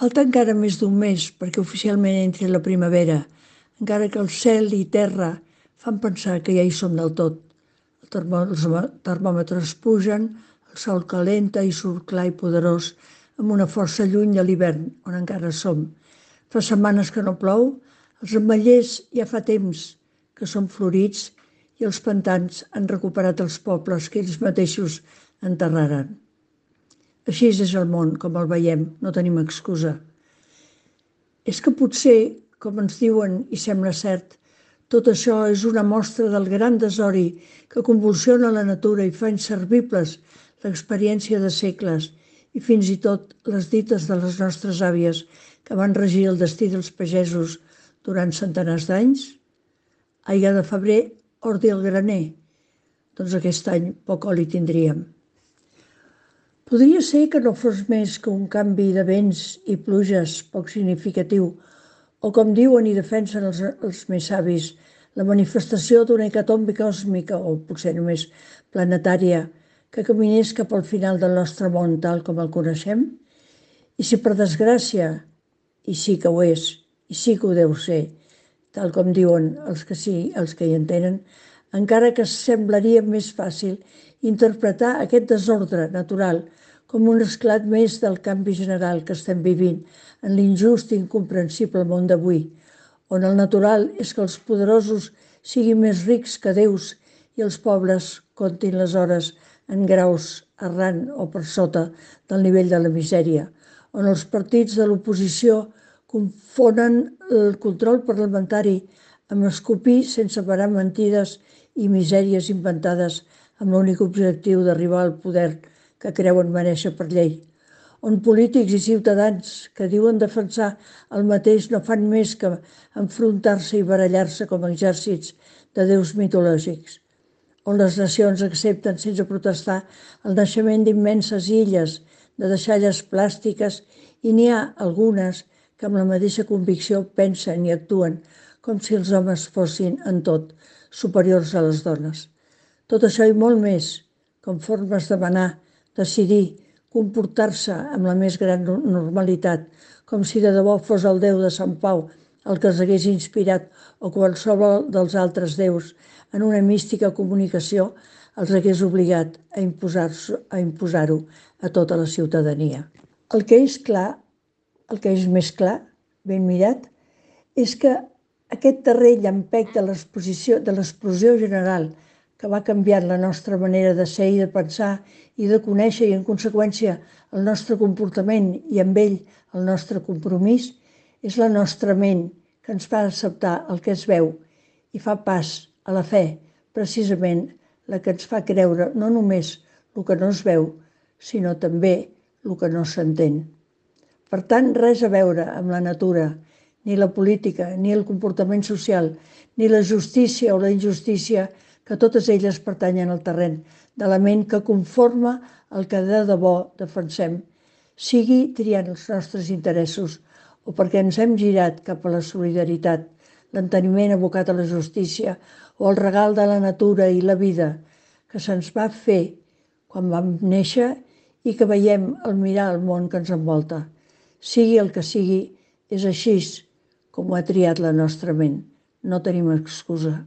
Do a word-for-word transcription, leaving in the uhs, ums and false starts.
Falta encara més d'un mes perquè oficialment entri la primavera, encara que el cel i terra fan pensar que ja hi som del tot. El termò els termòmetres pugen, el sol calenta i surt clar i poderós, amb una força lluny de l'hivern, on encara som. Fa setmanes que no plou, els ametllers ja fa temps que són florits i els pantans han recuperat els pobles que ells mateixos enterraren. Així és el món, com el veiem, no tenim excusa. És que potser, com ens diuen i sembla cert, tot això és una mostra del gran desori que convulsiona la natura i fa inservibles l'experiència de segles i fins i tot les dites de les nostres àvies que van regir el destí dels pagesos durant centenars d'anys. Aigua de febrer, ordi al graner. Doncs aquest any poc oli tindríem. Podria ser que no fos més que un canvi de vents i pluges poc significatiu, o com diuen i defensen els, els més savis, la manifestació d'una hecatombe còsmica, o potser només planetària, que caminés cap al final del nostre món tal com el coneixem? I si per desgràcia, i sí que ho és, i sí que ho deu ser, tal com diuen els que sí, els que hi entenen, encara que semblaria més fàcil interpretar aquest desordre natural com un esclat més del canvi general que estem vivint en l'injust i incomprensible món d'avui, on el natural és que els poderosos siguin més rics que déus i els pobres comptin les hores en graus arran o per sota del nivell de la misèria, on els partits de l'oposició confonen el control parlamentari amb escopir sense parar mentides i misèries inventades amb l'únic objectiu d'arribar al poder que creuen merèixer per llei, on polítics i ciutadans que diuen defensar el mateix no fan més que enfrontar-se i barallar-se com a exèrcits de déus mitològics, on les nacions accepten sense protestar el naixement d'immenses illes, de deixalles plàstiques, i n'hi ha algunes que amb la mateixa convicció pensen i actuen com si els homes fossin en tot superiors a les dones. Tot això i molt més, com formes de manar, decidir, comportar-se amb la més gran normalitat, com si de debò fos el déu de Sant Pau el que els hagués inspirat o qualsevol dels altres déus en una mística comunicació els hagués obligat a imposar-ho a, imposar-ho a tota la ciutadania. El que és clar, el que és més clar, ben mirat, és que aquest darrer llampec de l'exposició, de l'explosió general que va canviant la nostra manera de ser i de pensar i de conèixer i en conseqüència el nostre comportament i amb ell el nostre compromís, és la nostra ment que ens fa acceptar el que es veu i fa pas a la fe, precisament la que ens fa creure no només el que no es veu, sinó també el que no s'entén. Per tant, res a veure amb la natura, ni la política, ni el comportament social, ni la justícia o la injustícia, que totes elles pertanyen al terreny de la ment que conforma el que de debò defensem, sigui triant els nostres interessos o perquè ens hem girat cap a la solidaritat, l'enteniment abocat a la justícia o el regal de la natura i la vida que se'ns va fer quan vam néixer i que veiem al mirar el món que ens envolta. Sigui el que sigui, és així com ho ha triat la nostra ment. No tenim excusa.